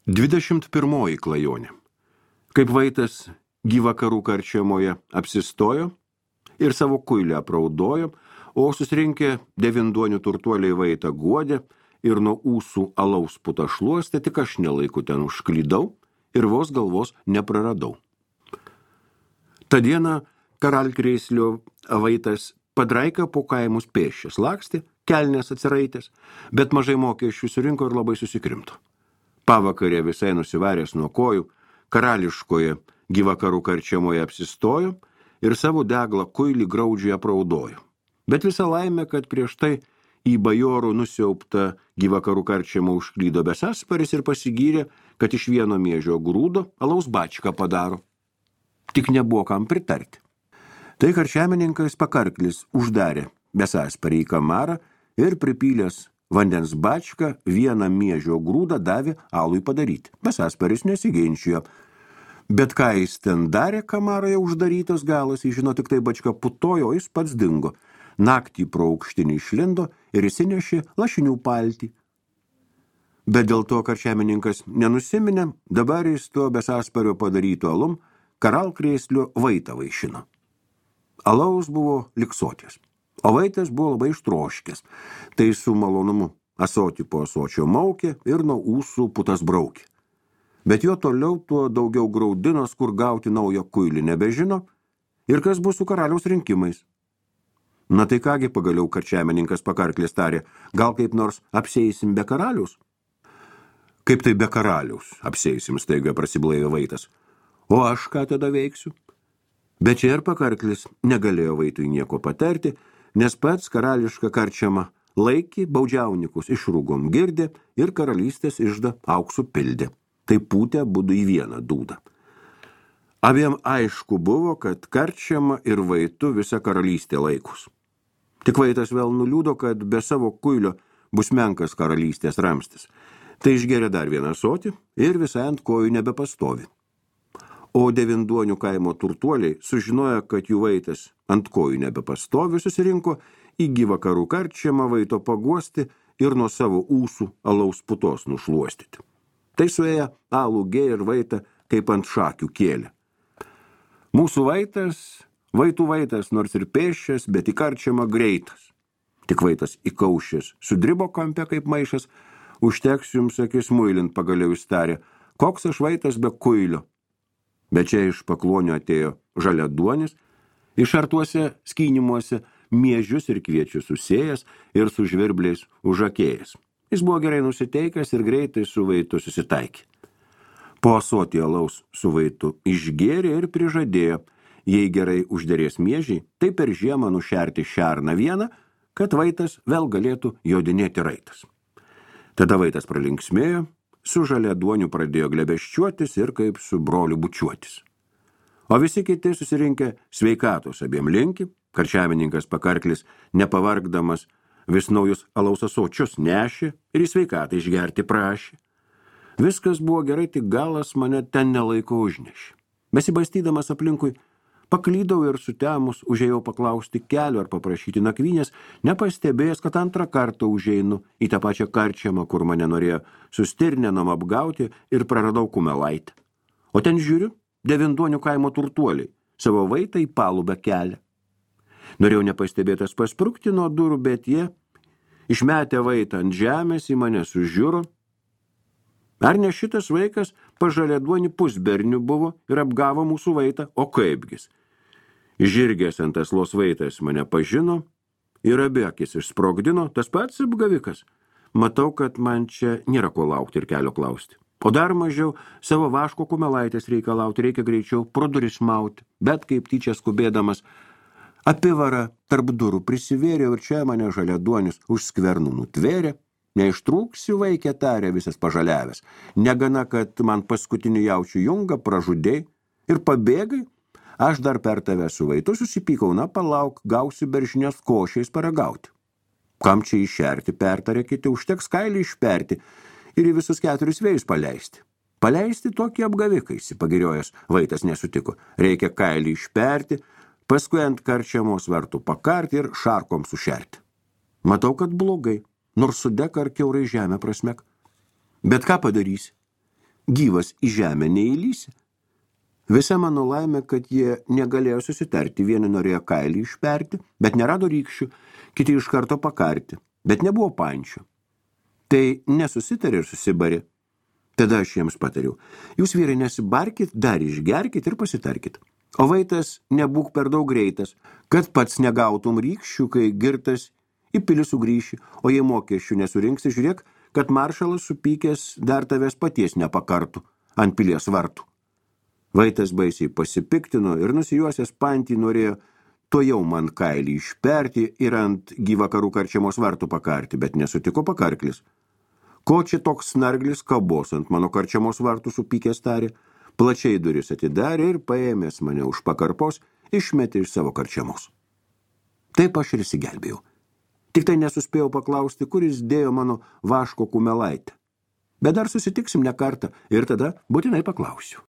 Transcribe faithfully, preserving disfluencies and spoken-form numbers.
Dvidešimt pirmoji klajonė. Kaip Vaitas gyvakarų karčiamoje apsistojo ir savo kuilę apraudojo, o susirinkę devinduonių turtuoliai Vaitą guodė ir nuo ūsų alaus putą šluostė, tik aš nelaiku ten užklydau ir vos galvos nepraradau. Ta diena karalkrėslio Vaitas padraika po kaimus pėsčias lakstė, kelnės atsiraitės, bet mažai mokesčių surinko ir labai susikrimto. Pavakarė visai nusivaręs nuo kojų, karališkoje gyvakarų karčiamoje apsistojo ir savo deglą kuilį graudžiai apraudojo. Bet visa laimė, kad prieš tai į bajorų nusiauptą gyvakarų karčiamą užklydo Besasparis ir pasigyrė, kad iš vieno miežio grūdo alaus bačką padaro. Tik nebuvo kam pritarti. Tai karčiamininkas Pakarklis uždarė Besasparį į kamarą ir pripylęs vandens bačką vieną miežio grūdą davė alui padaryti. Besasparis nesiginčijo. Bet ką jis ten darė, kamaroje uždarytas galas, jis žino, tik tai bačka putojo, jis pats dingo. Naktį pro aukštinį išlindo ir įsinešė lašinių paltį. Bet dėl to karčiamininkas nenusiminė, dabar jis to Besaspario padarytų alum karalkrėslio Vaitą vaišino. Alaus buvo liksotis. O Vaitas buvo labai ištroškęs, tai su malonumu asotį po asočio maukė ir nuo ūsų putas braukė. Bet jo toliau tuo daugiau graudinos, kur gauti naują kuilį nebežino ir kas bus su karaliaus rinkimais. Na tai kągi pagaliau karčiamininkas Pakarklis tarė, gal kaip nors apseisim be karaliaus? Kaip tai be karaliaus apseisim, staiga prasiblaivė Vaitas. O aš ką tada veiksiu? Bet čia ir Pakarklis negalėjo Vaitui nieko patarti, nes pats karališką karčiamą laikį baudžiaunikus išrūgom girdė ir karalystės iždą auksų pildė. Tai pūtė būdų į vieną dūdą. Abiem aišku buvo, kad karčiama ir Vaitu visa karalystė laikus. Tik Vaitas vėl nuliūdo, kad be savo kuilio bus menkas karalystės ramstis. Tai išgeria dar vieną sotį ir visai ant kojų nebepastovi. O devinduonių kaimo turtuoliai sužinojo, kad jų Vaitas ant kojų nebepastovi, susirinko į gyvakarų karčiamą Vaito paguosti ir nuo savo ūsų alaus putos nušluostyti. Tai suėję alų gė ir Vaitą kaip ant šakių kėlė. Mūsų Vaitas, Vaitų Vaitas, nors ir pėsčias, bet į karčiamą greitas. Tik Vaitas įkaušęs, sudribo kampe kaip maišas, užteks jums akis muilint, pagaliau įstarė, koks aš Vaitas be kuilio. Bet čia iš paklonio atėjo žaliaduonis, iš artuose skynimuose miežius ir kviečius susėjęs ir su žvirbliais užakėjęs. Jis buvo gerai nusiteikęs ir greitai su Vaitu susitaikė. Po asotį alaus su Vaitu išgėrė ir prižadėjo, jei gerai užderės miežiai, tai per žiemą nušerti šerną vieną, kad Vaitas vėl galėtų jodinėti raitas. Tada Vaitas pralinksmėjo, su žaliaduoniu pradėjo glebeščiuotis ir kaip su broliu bučiuotis. O visi kiti susirinkę sveikatos abiem linki, karčiamininkas Pakarklis, nepavargdamas, vis naujus alaus asočius nešė ir į sveikatą išgerti prašė. Viskas buvo gerai, tik galas mane ten nelaiko užnešė. Besibastydamas aplinkui, paklydau ir sutemus užėjau paklausti kelio ar paprašyti nakvynės, nepastebėjęs, kad antrą kartą užeinu į tą pačią karčiamą, kur mane norėjo sustirnenom apgauti ir praradau kumelaitę. O ten žiūriu, devinduonių kaimo turtuoliai savo Vaitą į palubę kelią. Norėjau nepastebėtas pasprukti nuo durų, bet jie, išmetę Vaitą ant žemės, į mane sužiūro. Ar ne šitas vaikas pažaliaduonį pusbernių buvo ir apgavo mūsų Vaitą, o kaipgis? Žirgės ant aslos Vaitas mane pažino ir abi akis išsprogdino, tas pats apgavikas. Matau, kad man čia nėra ko laukti ir kelio klausti. O dar mažiau savo vaško kumelaitės reikalauti, reikia greičiau pro duris mauti, bet kaip tyčia skubėdamas apivara tarp durų prisivėrė ir čia mane žaliaduonis už skvernų nutvėrė. Neištrūksi, vaikė, tarė visas pažaliavęs. Negana, kad man paskutinių jaučių jungą pražudėjai ir pabėgai, aš dar per tave su Vaitu susipykau, na palauk, gausi beržinės košiais paragauti. Kam čia išerti, pertarė kiti, užteks kailį išperti ir į visus keturis vėjus paleisti. Paleisti tokį apgaviką, įsipagiriojęs Vaitas nesutiko. Reikia kailį išperti, paskui ant karčiamos vartų pakarti ir šarkom sušerti. Matau, kad blogai. Nors sudek ar kiaurai žemę prasmek. Bet ką padarysi? gyvas į žemę neįlysi. Visa mano laimė, kad jie negalėjo susitarti, vieni norėjo kailį išperti, bet nerado rykščių, kiti iš karto pakarti, bet nebuvo pančių. Tai nesusitarė ir susibarė. Tada aš jiems patariau, jūs vyrai nesibarkit, dar išgerkit ir pasitarkit. O vaitas nebūk per daug greitas, kad pats negautum rykščių, kai girtas į pilį sugrįši, o jei mokesčių nesurinksi, žiūrėk, kad maršalas supykęs dar tavęs paties nepakartų ant pilies vartų. Vaitas baisiai pasipiktino ir nusijuosęs pantį norėjo to jau man kailį išperti ir ant gyvakarų karčiamos vartų pakarti, bet nesutiko pakarklis. Ko čia toks snarglis kabos ant mano karčiamos vartų supykęs tarė, plačiai duris atidarė ir paėmęs mane už pakarpos, išmetė iš savo karčiamos. Taip aš ir įsigelbėjau. Tik tai nesuspėjau paklausti, kuris dėjo mano vaško kumelaitę. Bet dar susitiksim ne kartą ir tada būtinai paklausiu.